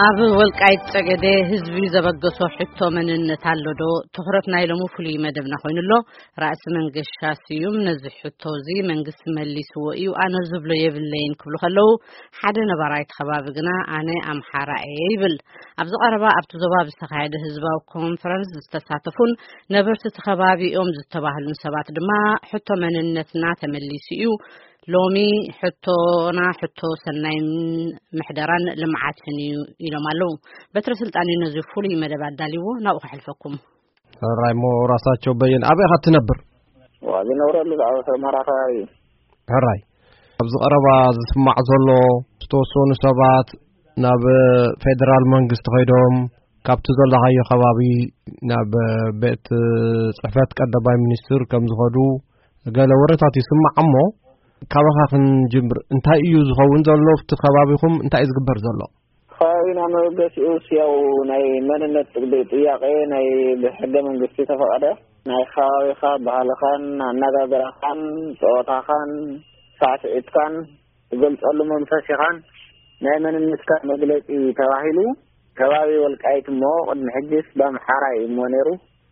ኣብ ወልቃይት ጸገዴ ህዝቢ ዘበገሶ ሕቶ መንነት ኣሎ ዶ? ትኹረት ናይ ሎሚ ፍሉይ መደብና ኮይኑ ኣሎ። ራእሲ መንገሻ ስዩም ነዚ ሕቶ እዚ መንግስቲ መሊስዎ እዩ፣ ኣነ ዝብሎ የብለይን ክብሉ ከለዉ፣ ሓደ ነባራይ እቲ ከባቢ ግና ኣነ ኣምሓራ እየ ይብል። ኣብዚ ቀረባ ኣብቲ ዞባ ብዝተኻየደ ህዝባዊ ኮንፈረንስ ዝተሳተፉን ነበርቲ እቲ ከባቢ እዮም ዝተባህሉን ሰባት ድማ ሕቶ መንነትና ተመሊሱ እዩ፣ ሎሚ ሕቶና ሕቶ ሰናይን ምሕደራን ልምዓትን እዩ ኢሎም ኣለዉ። በትረ ስልጣን እዩ ነዚ ፍሉይ መደብ ኣዳልይዎ፣ ናብኡ ከሕልፈኩም። ሕራይ እሞ ራሳቸው በየን ኣበይ ኢኻ ትነብር? ዋ፣ ዝነብረሉ ኣብ ኣስመራ ከባቢ እዩ። ሕራይ፣ ኣብዚ ቀረባ ዝስማዕ ዘሎ ዝተወሰኑ ሰባት ናብ ፌደራል መንግስቲ ከይዶም ካብቲ ዘለኻዮ ከባቢ ናብ ቤት ጽሕፈት ቀዳማይ ሚኒስትር ከም ዝኸዱ ገለ ወረታት ይስማዕ። እሞ ካባኻ ክንጅምር፣ እንታይ እዩ ዝኸውን ዘሎ? ኣብቲ ከባቢኹም እንታይ እዩ ዝግበር ዘሎ? ከባቢና መበገሲኡ ያው ናይ መንነት ጥያቄ ናይ ብሕገ መንግስቲ ተፈቐደ ናይ ከባቢኻ ባህልኻን ኣነጋገራኻን ጸወታኻን ሳዕስዒትካን ትገልጸሉ መንፈስ ኢኻን ናይ መንነትካ መግለጺ ተባሂሉ። ከባቢ ወልቃይት እሞ ቅድሚ ሕጅስ ብኣምሓራ እዩ እሞ ነይሩ።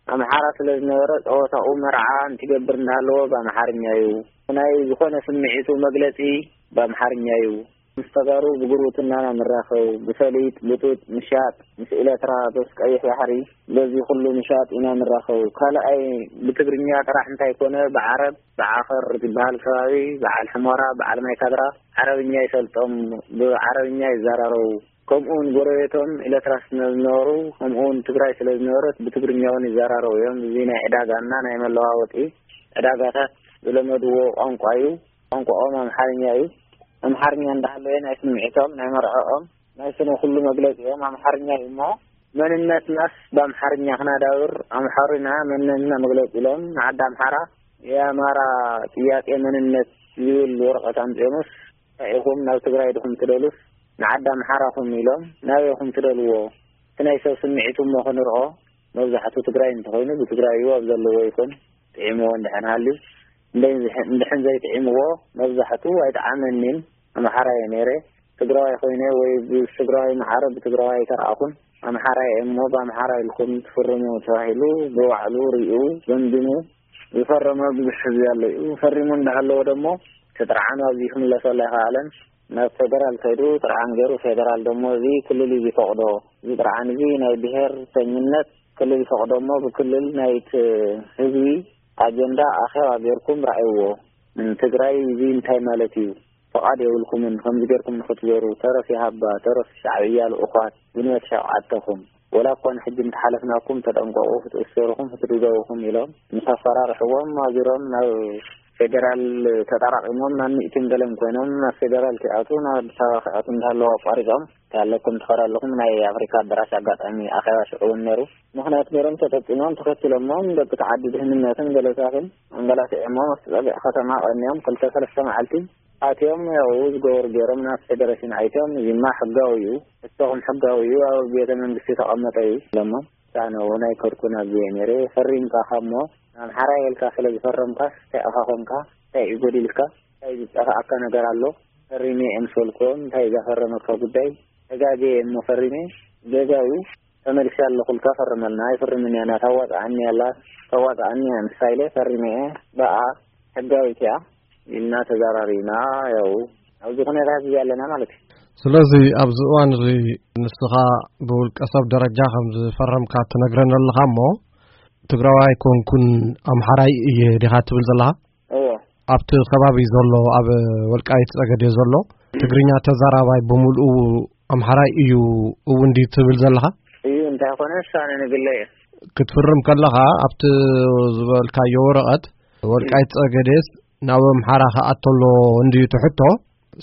ኣምሓራ ስለ ዝነበረ ጸወታኡ መርዓ እንትገብር እንዳሃለዎ ብኣምሓርኛ እዩ። ናይ ዝኾነ ስምዒቱ መግለጺ ብኣምሓርኛ እዩ። ምስ ተጋሩ ብጉርብትና ኢና ንራኸብ፣ ብፈሊጥ፣ ብጡጥ፣ ምሻጥ፣ ምስ ኤለትራ፣ በስ ቀይሕ ባሕሪ፣ በዚ ኩሉ ምሻጥ ኢና ንራኸብ። ካልኣይ ብትግርኛ ጥራሕ እንታይ ኮነ፣ ብዓረብ፣ ብዓኸር ዝበሃል ከባቢ፣ በዓል ሕሞራ፣ በዓል ማይ ካድራ፣ ዓረብኛ ይፈልጦም፣ ብዓረብኛ ይዘራረቡ። ከምኡውን ጎረቤቶም ኤለትራ ስለ ዝነበሩ፣ ከምኡውን ትግራይ ስለ ዝነበረት ብትግርኛ እውን ይዘራረቡ እዮም። እዚ ናይ ዕዳጋና ናይ መለዋወጢ ዕዳጋታት ዝለመድዎ ቋንቋ እዩ። ቋንቋኦም ኣምሓርኛ እዩ። ኣምሓርኛ እንዳሃለወ ናይ ስምዒቶም፣ ናይ መርዕኦም፣ ናይ ስነ ኩሉ መግለጺኦም ኣምሓርኛ እዩ እሞ፣ መንነትናስ ብኣምሓርኛ ክናዳብር፣ ኣምሓሩና መንነትና መግለጺ ኢሎም ንዓዲ ኣምሓራ የኣማራ ጥያቄ መንነት ዝብል ወረቐት ኣምጺኦምስ፣ እንታይ ኢኹም ናብ ትግራይ ድኹም ትደሉስ ንዓዲ ኣምሓራኹም ኢሎም ናበይኹም ትደልዎ? እቲ ናይ ሰብ ስምዒት እሞ ክንርኦ፣ መብዛሕቱ ትግራይ እንተኾይኑ ብትግራይ እዩ ኣብ ዘለዎ ይኹን ጥዒምዎ እንድሕን ሃልዩ። እንደ-፣ እንድሕን ዘይጥዒምዎ መብዛሕቱ ኣይጠዓመኒን። ኣምሓራ እየ ነይረ። ትግራዋይ ኮይነ ወይ ብትግራዋይ ማዕረ ብትግራዋይ ኣይተረኣኹን። ኣምሓራ እየ እሞ ብኣምሓራ ኢልኩም ትፍርሙ ተባሂሉ ብባዕሉ ሪኡ ገምጊሙ ዝፈረመ ብዙሕ ህዝቢ ኣሎ እዩ። ፈሪሙ እንዳሃለወ ደሞ እቲ ጥርዓኑ ኣብዚ ክምለሰሉ ኣይኸኣለን። ናብ ፌደራል ከይዱ ጥርዓን ገይሩ፣ ፌደራል ደሞ እዚ ክልል እዩ ዝፈቕዶ። እዚ ጥርዓን እዚ ናይ ብሄርተኝነት ክልል ይፈቕዶ እሞ ብክልል ናይቲ ህዝቢ ኣጀንዳ ኣኼባ ገይርኩም ረኣይዎ። ትግራይ እዚ እንታይ ማለት እዩ? ፍቓድ የብልኩምን ከምዚ ገይርኩም ንክትዞሩ። ተረፍ ይሃባ፣ ተረፍ ሻዕብያ ልኡኻት፣ ግንቦት ሸውዓተኹም። ወላ እኳ ንሕጂ እንተሓለፍናኩም ተጠንቀቑ፣ ክትእሰሩኹም ክትድብደቡኹም ኢሎም ምስ ኣፈራርሕዎም ኣዙሮም ናብ ፌደራል ተጠራቒሞም ናብ ሚእትን ገለን ኮይኖም ናብ ፌደራል ክኣቱ ናብ ኣዲስ ኣበባ ክኣቱ እንዳሃለዉ ኣቋሪጾም። ታለኩም ትኸዱ ኣለኹም ናይ ኣፍሪካ ኣዳራሽ ኣጋጣሚ ኣኼባ ሽዑ እውን ነይሩ። ምኽንያት ገይሮም ተጠቂሞም ተኸትሎሞም ደቂ ተዓዲ ድህንነትን ገለታትን ኣንገላቲዖሞም ኣብቲ ጸግዒ ከተማ ቀንዮም ክልተ ሰለስተ መዓልቲ ኣትዮም ያው ዝገበሩ ገይሮም ናብ ፌደሬሽን ኣይትዮም። እዚማ ሕጋዊ እዩ፣ እተኹም ሕጋዊ እዩ፣ ኣብ ቤተ መንግስቲ ተቐመጠ እዩ ኢሎሞም። ኣነ እውን ኣይከድኩን ኣብዚየ ነይረ። ፈሪምካ እሞ ኣምሓራይ ኢልካ ስለ ዝፈረምካስ እንታይ ኢኻ ኮንካ? እንታይ እዩ ጎዲልካ? እንታይ ዝጠፍኣካ ነገር ኣሎ? ፈሪመ እየ ምስ በልክዎም እንታይ እዩ ዘፈረመካ ጉዳይ? ተጋግየ እየ እሞ ፈሪመ። ጌጋ እዩ። ተመልሰ ኣለኹ ኢልካ ፈርመልና። ኣይፍርምን እያ፣ ናታ ዋፅኣኒ ኣላ፣ ተዋፅኣኒ እያ ንሳ ኢለ ፈሪመ እየ። ብኣ ሕጋዊት እያ ኢልና ተዘራሪብና። ያው ኣብዚ ኩነታት እዚ ኣለና ማለት እዩ። ስለዚ ኣብዚ እዋን እዚ ንስኻ ብውልቀ ሰብ ደረጃ ከም ዝፈረምካ ትነግረኒ ኣለኻ እሞ ትግራዋይ ኮንኩን ኣምሓራይ እየ ዲኻ ትብል ዘለኻ? እዎ። ኣብቲ ከባቢ ዘሎ ኣብ ወልቃይት ጸገዴ ዘሎ ትግርኛ ተዛራባይ ብምልኡ ኣምሓራይ እዩ እውን ድዩ ትብል ዘለኻ? እዩ እንታይ ኮነ ሳነ ንግለ እየ። ክትፍርም ከለኻ ኣብቲ ዝበልካዮ ወረቐት ወልቃይት ጸገዴስ ናብ ኣምሓራ ክኣቶ ኣሎ እንድዩ ትሕቶ።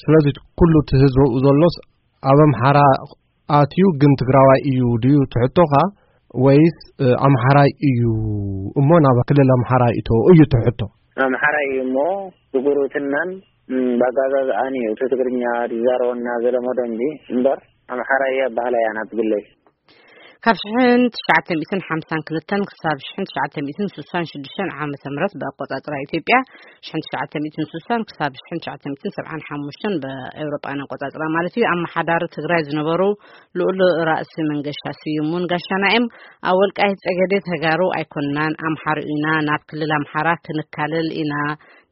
ስለዚ ኩሉ እቲ ህዝቢ ኣብኡ ዘሎስ ኣብ ኣምሓራ ኣትዩ ግን ትግራዋይ እዩ ድዩ ትሕቶኻ ወይስ፣ እ፣ ኣምሓራይ እዩ እሞ ናብ ክልል ኣምሓራ ይእቶ እዩ ትሕቶ? ኣምሓራይ እዩ እሞ ብጉርብትናን፣ ም፣ ባጋዛዝኣን እዩ እቲ ትግርኛ ዝዛረበና ዘለመዶ እንጂ እምበር ኣምሓራይ እየ ኣባህላ እያ ናት ግለይ። ካብ ሽሕን ትሽዓተ ሚእትን ሓምሳን ክልተን ክሳብ ሽሕን ትሽዓተ ሚእትን ስሳን ሽዱሽተን ዓመተ ምህረት ብኣቆጻጽራ ኢትዮጵያ፣ ሽሕን ትሽዓተ ሚእትን ስሳን ክሳብ ሽሕን ትሽዓተ ሚእትን ሰብዓን ሓሙሽተን ብኤውሮጳውያን ኣቆጻጽራ ማለት እዩ፣ ኣመሓዳሪ ትግራይ ዝነበሩ ልኡል ራእሲ መንገሻ ስዩም እውን ጋሻና እዮም። ኣብ ወልቃይት ጸገዴ ተጋሩ ኣይኮንናን፣ ኣምሓሩ ኢና፣ ናብ ክልል ኣምሓራ ክንካለል ኢና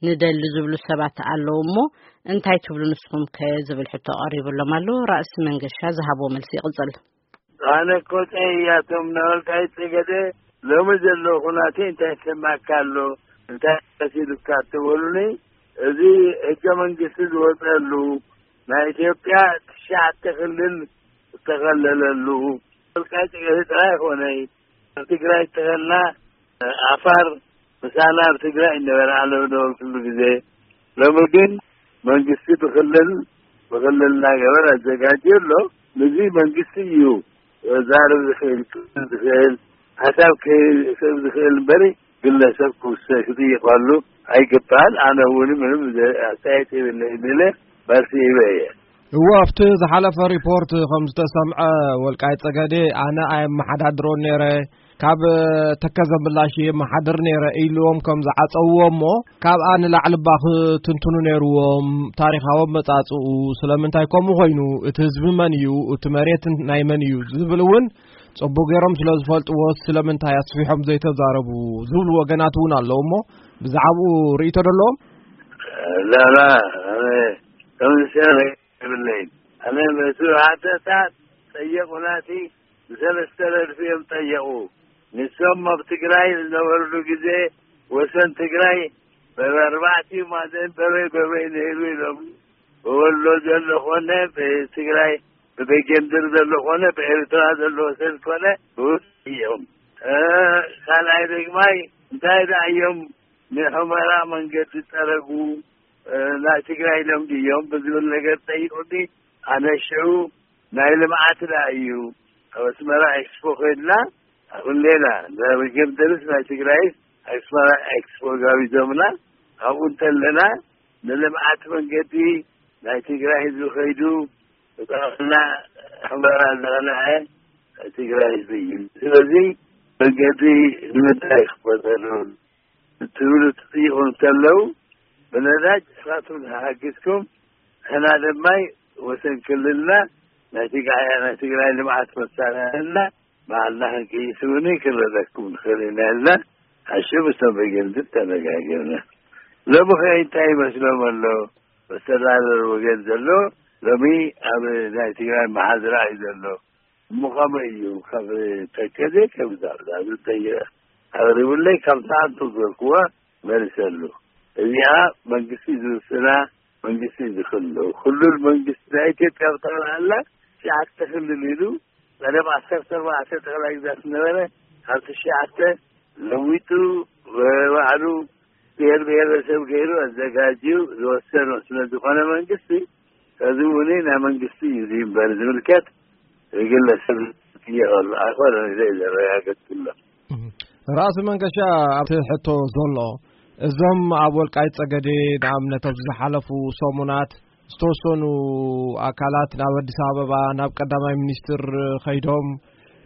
ንደሊ ዝብሉ ሰባት ኣለዉ እሞ፣ እንታይ ትብሉ ንስኹም ከ ዝብል ሕቶ ቀሪብሎም ኣሎ። ራእሲ መንገሻ ዝሃብዎ መልሲ ይቕጽል። ኣነ እኮ ጸያቶም ናይ ወልቃይት ጸገዴ ሎሚ ዘሎ ኩናቴ እንታይ ይሰማካ ኣሎ? እንታይ መሲሉካ ትበሉኒ? እዚ ሕገ መንግስቲ ዝወጸሉ፣ ናይ ኢትዮጵያ ትሽዓተ ክልል ዝተኸለለሉ፣ ወልቃይት ጸገዴ ጥራይ ኣይኮነይ። ኣብ ትግራይ እተኸልና፣ ዓፋር ምሳና ኣብ ትግራይ ነበረ፣ ኣነ ዝነበርኩሉ ግዜ። ሎሚ ግን መንግስቲ ብክልል፣ ብክልል እናገበረ ኣዘጋጅዩ ኣሎ። ነዚ መንግስቲ እዩ ክዛረብ ዝኽእል፣ ክብል ዝኽእል፣ ሓሳብ ክህብ ዝኽእል እምበሪ፣ ግለሰብ ክውሰ-፣ ክጥይቐሉ ኣይግባእን። ኣነ እውን ምንም ዘ-፣ ኣስተያየት የብለይን ኢለ መልሲ ሂበ እየ። እዎ፣ ኣብቲ ዝሓለፈ ሪፖርት ከም ዝተሰምዐ፣ ወልቃይት ጸገዴ ኣነ ኣየመሓዳድሮን ነይረ፣ ካብ ተከዘ ምላሽ የመሓድር ነይረ ኢልዎም ከም ዝዓጸውዎ እሞ፣ ካብኣ ንላዕሊ እባ ክትንትኑ ነይርዎም። ታሪኻዊ ኣመጻጽኡ ስለምንታይ ከምኡ ኮይኑ፣ እቲ ህዝቢ መን እዩ፣ እቲ መሬት ናይ መን እዩ ዝብል እውን ጽቡቅ ገይሮም ስለ ዝፈልጥዎ፣ ስለምንታይ ኣስፊሖም ዘይተዛረቡ ዝብሉ ወገናት እውን ኣለዉ እሞ፣ ብዛዕባኡ ርእይቶ ዶ ኣለዎም? ላላ፣ ኣነ ከም ዝሰምዕ የብለይን። ኣነ ነቲ ሓተታ ጠየቑናቲ፣ ብሰለስተ ረድፊ እዮም ጠየቑ። ንሶም ኣብ ትግራይ ዝነበሩሉ ግዜ ወሰን ትግራይ በበ-፣ ኣርባዕቲኡ ማዕዘን በበይ በበይ ነይሩ ኢሎም። ብወሎ ዘሎ ኮነ፣ ብትግራይ፣ ብበጌምድር ዘሎ ኮነ፣ ብኤርትራ ዘሎ ወሰን ኮነ፣ ብውስ እዮም። እ፣ ካልኣይ ደግማይ፣ እንታይ ደኣ እዮም ንሑመራ መንገዲ ጠረጉ? እ፣ ናይ ትግራይ ኢሎም ድዮም ብዝብል ነገር ጠይቁኒ። ኣነ ሽዑ ናይ ልምዓት ደኣ እዩ። ኣብ ኣስመራ ኤክስፖ ኮይንና፣ ኣብ ሌላ፣ በጌምድርስ ናይ ትግራይ ኣስመራ ኤክስፖ ጋቢዞምና። ኣብኡ እንተለና፣ ንልምዓት መንገዲ ናይ ትግራይ ህዝቢ ከይዱ፣ ብጠቕላላ ሑመራ ዝቐንዐ ናይ ትግራይ ህዝቢ እዩ። ስለዚ መንገዲ ንምንታይ ክፈተሉ? ትብሉ ትጥይቑ እንተለዉ፣ ብነዳጅ ንስኻትኩም ተሓጊዝኩም፣ ንሕና ድማ ወሰን ክልልና ናይ ትግራይ፣ ናይ ትግራይ ልምዓት መሳርሕና ባዕልና ክንቅይስ እውን ክንረደኩም ንኽእል ኢና ኢልና፣ ሓሽብ ምስቶም በጌምድር ተነጋጊርና። ሎሚ ኸ እንታይ ይመስሎም ኣሎ? መስተዳደር ወገን ዘሎ ሎሚ ኣብ ናይ ትግራይ መሓዝራ እዩ ዘሎ። እሞ ከመይ እዩ? ካብ ተከዘ ከም ዛብዛ ዝጠይቕ ኣቕሪቡለይ፣ ካብ ሰዓቱ ዝበልክዋ መሊሰሉ። እዚኣ መንግስቲ ዝውስና፣ መንግስቲ ዝኽሉ፣ ክልል መንግስቲ ናይ ኢትዮጵያ ብጠቕላላ ትሽዓተ ክልል ኢሉ፣ ቀደም ዓሰርተ ኣርባዕተ ጠቕላይ ግዛት ዝነበረ፣ ካብ ትሽዓተ ለዊጡ፣ ባዕሉ ብሔር ብሔረሰብ ገይሩ ኣዘጋጅዩ ዝወሰኖ ስለ ዝኾነ መንግስቲ፣ እዚ እውን ናይ መንግስቲ እዩ እዚ እምበር ዝምልከት ግለሰብ ዝጥየቕ ኣሎ ኣይኮነን ኢለ እየ ዘረጋግጽ ዘሎ። እህ። ራእሲ መንገሻ ኣብቲ ሕቶ ዘሎ፣ እዞም ኣብ ወልቃይት ጸገዴ ንኣብነት ኣብዚ ዝሓለፉ ሰሙናት ዝተወሰኑ ኣካላት ናብ ኣዲስ ኣበባ ናብ ቀዳማይ ሚኒስትር ከይዶም፣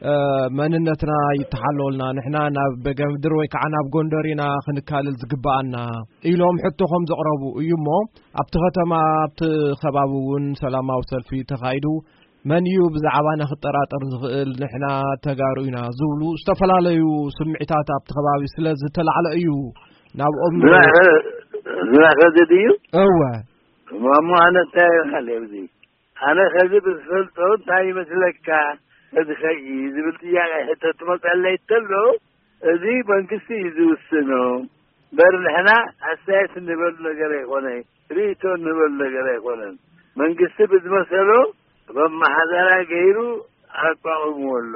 እ፣ መንነትና ይተሓለወልና፣ ንሕና ናብ በጌምድር ወይ ከዓ ናብ ጎንደር ኢና ክንካለል ዝግበኣና ኢሎም ሕቶ ከም ዘቕረቡ እዩ እሞ፣ ኣብቲ ከተማ፣ ኣብቲ ከባቢ እውን ሰላማዊ ሰልፊ ተኻይዱ፣ መን እዩ ብዛዕባና ክጠራጠር ዝኽእል? ንሕና ተጋሩ ኢና ዝብሉ ዝተፈላለዩ ስምዒታት ኣብቲ ከባቢ ስለ ዝተላዕለ እዩ ናብኦም። ዝናኸ-፣ ዝናኸ ድዩ? እወ። እሞ ኣነ እንታይ ይበሃል ኣብዚ? ኣነ ከዚ ብዝፈልጦ እንታይ ይመስለካ? እዚ ኸይ ዝብል ጥያቄ ሕቶ ትመፀለይ ተሎ፣ እዚ መንግስቲ እዩ ዝውስኖ። እምበር ንሕና ኣስተያየት እንበሉ ነገር ኣይኮነ፣ ርእይቶ እንበሉ ነገር ኣይኮነን። መንግስቲ ብዝመሰሎ መመሓደራ ገይሩ ኣቋቑምዎ ኣሎ።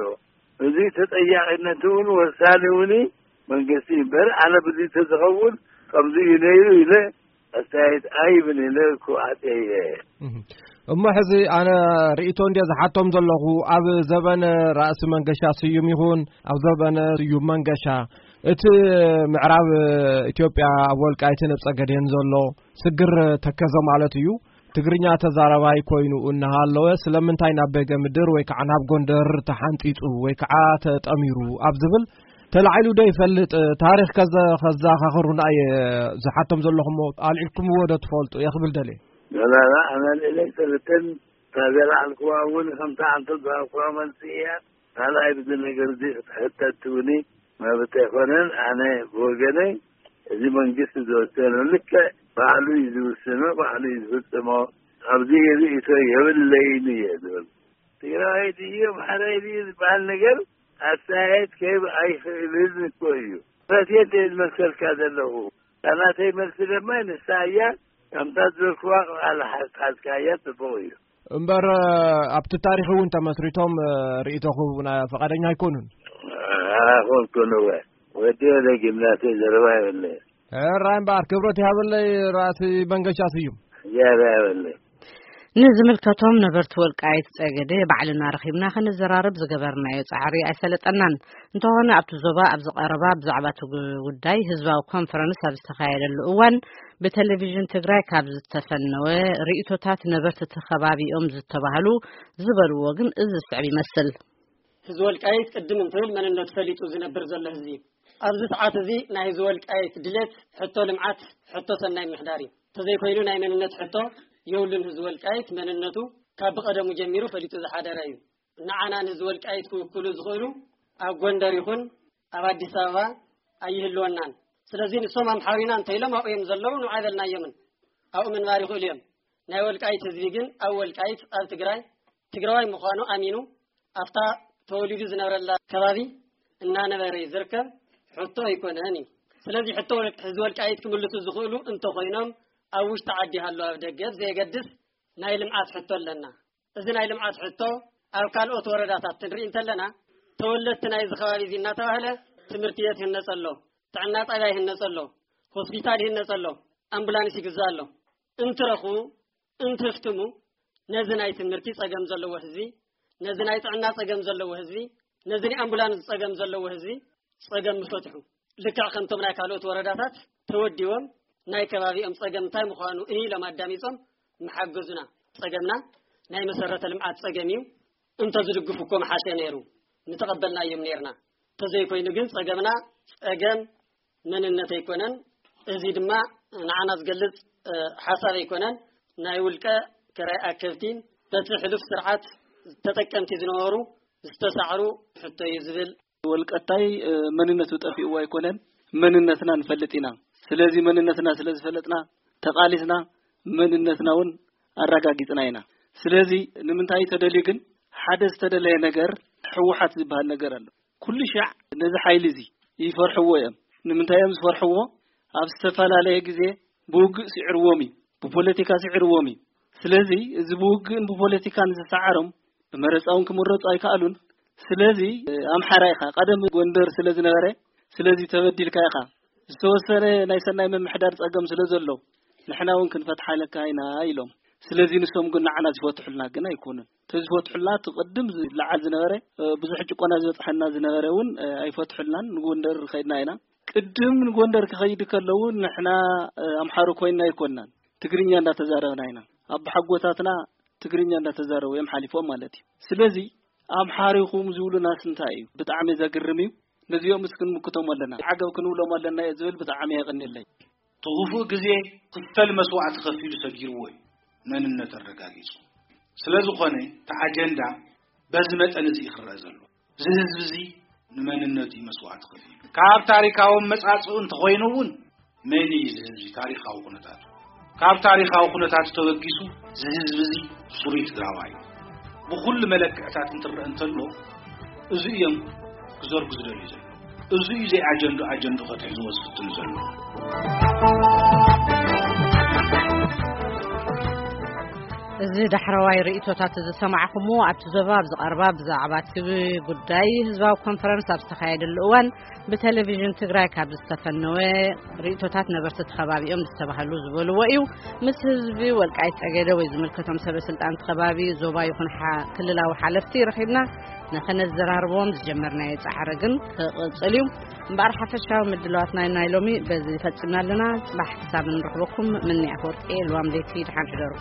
እዚ ተጠያቂነት እውን ወሳኒ እውን መንግስቲ እምበር፣ ኣነ ብዚ ተዝኸውን ከምዚ እዩ ነይሩ ኢለ ኣስተያየት ኣይብን ኢለ ክዋዕጥ እየ። እህ። እሞ ሕዚ ኣነ ርእይቶ እንድየ ዝሓቶም ዘለኹ፣ ኣብ ዘበነ ራእሲ መንገሻ ስዩም ይኹን ኣብ ዘበነ ስዩም መንገሻ፣ እቲ ምዕራብ ኢትዮጵያ ኣብ ወልቃይትን ኣብ ጸገዴን ዘሎ ስግር ተከዘ ማለት እዩ። እቲ ትግርኛ ተዛራባይ ኮይኑ እናሃለወ ስለምንታይ ናብ ቤገ ምድር ወይ ከዓ ናብ ጎንደር ተሓንጢጡ ወይ ከዓ ተጠሚሩ ኣብ ዝብል ተላዒሉ ዶ ይፈልጥ? ታሪኽ ከዘ-፣ ከዘኻኽሩና እየ ዝሓቶም ዘለኹሞ ኣልዒልኩምዎ ዶ ትፈልጡ እየ ክብል ደልየ። ላላ ኣመልእለይ ሰለተን ታዘላ ኣልኩዋ እውን ከምታ ኣንተ ዝሃብኩዋ መልሲ እያ። ካልኣይ ብዚ ነገር እዚ ክትሕተት ትብሊ መብት ኣይኮነን። ኣነ ብወገነይ እዚ መንግስቲ ዝወሰነ ልክዕ ባዕሉ እዩ ዝውስኖ፣ ባዕሉ እዩ ዝፍጽሞ። ኣብዚ ርእይቶ የብለይን እየ ዝብል። ትግራዋይ ድዩ ኣምሓራይ ድዩ ዝበሃል ነገር ኣስተያየት ከይብ ኣይኽእልን እኮ እዩ። ፈትየ ዝመልሰልካ ዘለኹ። እታ ናተይ መልሲ ድማ ንሳ እያ። ከምታ ዝበልክዋ ቃል ሓዝካያ ጽቡቕ እዩ። እምበር ኣብቲ ታሪኽ እውን ተመስሪቶም ርእይቶ ክህቡና ፈቃደኛ ኣይኮኑን። ኣይኮንኩን እወ። ወዲ ወደ ጊምናሴ ዘረባ የብለይ። ሕራይ እምበኣር ክብረት ይሃበለይ ራእሲ መንገሻ ስዩም። ዝያዳ የብለይ። ንዝምልከቶም ነበርቲ ወልቃይት ጸገዴ ባዕልና ረኺብና ክንዘራረብ ዝገበርናዮ ጻዕሪ ኣይሰለጠናን። እንተኾነ ኣብቲ ዞባ ኣብዚ ቀረባ ብዛዕባ እቲ ጉዳይ ህዝባዊ ኮንፈረንስ ኣብ ዝተኻየደሉ እዋን ብቴሌቪዥን ትግራይ ካብ ዝተፈነወ ርእይቶታት ነበርቲ እቲ ከባቢኦም ዝተባህሉ ዝበልዎ ግን እዚ ዝስዕብ ይመስል። ህዝቢ ወልቃይት ቅድም እንትብል መንነቱ ፈሊጡ ዝነብር ዘሎ ህዝቢ እዩ። ኣብዚ ሰዓት እዚ ናይ ህዝቢ ወልቃይት ድሌት ሕቶ ልምዓት፣ ሕቶ ሰናይ ምሕዳር እዩ። እንተዘይኮይኑ ናይ መንነት ሕቶ የብሉን። ህዝቢ ወልቃይት መንነቱ ካብ ብቐደሙ ጀሚሩ ፈሊጡ ዝሓደረ እዩ። ንዓና ንህዝቢ ወልቃይት ክውክሉ ዝኽእሉ ኣብ ጎንደር ይኹን ኣብ ኣዲስ ኣበባ ኣይህልወናን። ስለዚ ንሶም ኣምሓሩ ኢና እንተኢሎም ኣብኡ እዮም ዘለዉ፣ ንብዓይ በልናዮምን ኣብኡ ምንባር ይኽእሉ እዮም። ናይ ወልቃይት ህዝቢ ግን ኣብ ወልቃይት ኣብ ትግራይ ትግራዋይ ምዃኑ ኣሚኑ ኣብታ ተወሊዱ ዝነበረላ ከባቢ እናነበረ እዩ ዝርከብ። ሕቶ ኣይኮነን እዩ። ስለዚ ሕቶ ወልቅ-፣ ህዝቢ ወልቃይት ክምልሱ ዝኽእሉ እንተኾይኖም ኣብ ውሽጢ ዓዲ ሃሎ ኣብ ደገ ብዘየገድስ ናይ ልምዓት ሕቶ ኣለና። እዚ ናይ ልምዓት ሕቶ ኣብ ካልኦት ወረዳታት ክንርኢ እንተለና ተወለድቲ ናይዚ ከባቢ እዚ እናተባህለ ትምህርቲ ቤት ይህነጸ ኣሎ፣ ጥዕና ጣብያ ይህነጸ ኣሎ፣ ሆስፒታል ይህነጸ ኣሎ፣ ኣምቡላንስ ይግዛእ ኣሎ። እንትረኽቡ እንትፍትሙ ነዚ ናይ ትምህርቲ ጸገም ዘለዎ ህዝቢ፣ ነዚ ናይ ጥዕና ጸገም ዘለዎ ህዝቢ፣ ነዚ ናይ ኣምቡላንስ ጸገም ዘለዎ ህዝቢ ጸገም ምፈትሑ። ልክዕ ከምቶም ናይ ካልኦት ወረዳታት ተወዲቦም ናይ ከባቢኦም ጸገም እንታይ ምዃኑ እህ ኢሎም ኣዳሚጾም ምሓገዙና። ጸገምና ናይ መሰረተ ልምዓት ጸገም እዩ። እንተዝድግፉ እኮ ምሓሸ ነይሩ፣ ምተቐበልናዮም ነይርና። እንተዘይኮይኑ ግን ጸገምና ጸገም መንነት ኣይኮነን። እዚ ድማ ንዓና ዝገልጽ፣ እ፣ ሓሳብ ኣይኮነን። ናይ ውልቀ ክራይ ኣከብቲ በቲ ሕሉፍ ስርዓት ተጠቀምቲ ዝነበሩ ዝተሳዕሩ ሕቶ እዩ ዝብል። ወልቀታይ፣ እ፣ መንነቱ ጠፊእዎ ኣይኮነን፣ መንነትና ንፈልጥ ኢና። ስለዚ መንነትና ስለ ዝፈለጥና ተቓሊስና መንነትና እውን ኣረጋጊጽና ኢና። ስለዚ ንምንታይ ተደልዩ ግን ሓደ ዝተደለየ ነገር ህወሓት ዝበሃል ነገር ኣሎ። ኩሉ ሻዕ ነዚ ሓይሊ እዚ ይፈርሕዎ እዮም። ንምንታይ እዮም ዝፈርሕዎ? ኣብ ዝተፈላለየ ግዜ ብውግእ ስዒርዎም እዩ፣ ብፖለቲካ ስዒርዎም እዩ። ስለዚ እዚ ብውግእን ብፖለቲካን ዝሰዓሮም ብመረፃ እውን ክምረፁ ኣይከኣሉን። ስለዚ ኣምሓራ ኢኻ፣ ቀደም ጎንደር ስለ ዝነበረ፣ ስለዚ ተበዲልካ ኢኻ፣ ዝተወሰነ ናይ ሰናይ ምምሕዳር ፀገም ስለ ዘሎ ንሕና እውን ክንፈትሓለካ ኢና ኢሎም። ስለዚ ንሶም ግን ንዓና ዝፈትሑልና ግን ኣይኮኑን። ተዝፈትሑልና እቲ ቅድም ዝለዓል ዝነበረ፣ እ፣ ብዙሕ ጭቆና ዝበፅሐና ዝነበረ እውን፣ እ፣ ኣይፈትሑልናን። ንጎንደር ከይድና ኢና። ቅድም ንጎንደር ክኸይድ ከለዉ ንሕና፣ እ፣ ኣምሓሩ ኮይንና ኣይኮንናን። ትግርኛ እንዳተዛረብና ኢና። ኣቦሓጎታትና ትግርኛ እንዳተዛረቡ እዮም ሓሊፎም ማለት እዩ። ስለዚ ኣምሓሩ ኢኹም ዝብሉናስ እንታይ እዩ? ብጣዕሚ ዘግርም እዩ። ነዚኦም ምስ ክንምክቶም ኣለና፣ ዓገብ ክንብሎም ኣለና እየ ዝብል። ብጣዕሚ የቐንየለይ። እቲ ክፉእ ግዜ ክፈል መስዋዕቲ ከፊሉ ሰጊርዎ እዩ መንነት ኣረጋጊጹ። ስለ ዝኾነ እቲ ኣጀንዳ በዚ መጠን እዚ እዩ ክረአ ዘሎ። እዚ ህዝቢ እዚ ንመንነቱ እዩ መስዋዕቲ ከፊሉ። ካብ ታሪካዊ መጻጽኡ እንተኾይኑ እውን መን እዩ እዚ ህዝቢ ታሪካዊ ኩነታቱ? ካብ ታሪካዊ ኩነታቱ ተበጊሱ እዚ ህዝቢ እዚ ስሩይ ትግራዋይ እዩ። ብኹሉ መለክዕታት እንትረአ እንተሎ እዚ እዮም ክዘርጉ ዝደልዩ ዘለዉ። እዚ እዩ ዘይኣጀንዱ ኣጀንዱ ከትሕዝዎ ዝፍትኑ ዘለዉ። እዚ ዳሕረዋይ ርእይቶታት ዝሰማዕኹምዎ ኣብቲ ዞባ ኣብ ዝቐርባ ብዛዕባ እቲ ጉዳይ ህዝባዊ ኮንፈረንስ ኣብ ዝተኻየደሉ እዋን ብቴሌቪዥን ትግራይ ካብ ዝተፈነወ ርእይቶታት ነበርቲ እቲ ከባቢኦም ዝተባህሉ ዝበልዎ እዩ። ምስ ህዝቢ ወልቃይት ጸገደ ወይ ዝምልከቶም ሰበ ስልጣን እቲ ከባቢ ዞባ ይኹን ሓ-፣ ክልላዊ ሓለፍቲ ረኺብና ንኸነዘራርቦም ዝጀመርናዮ ጻዕሪ ግን ክቕጽል እዩ። እምበኣር ሓፈሻዊ ምድላዋት ናይ ናይ ሎሚ በዚ ፈጺምና ኣለና። ጽባሕ ክሳብ እንረኽበኩም ምንያ ወርቂ ልዋም ለይቲ ድሓን ሕደሩ።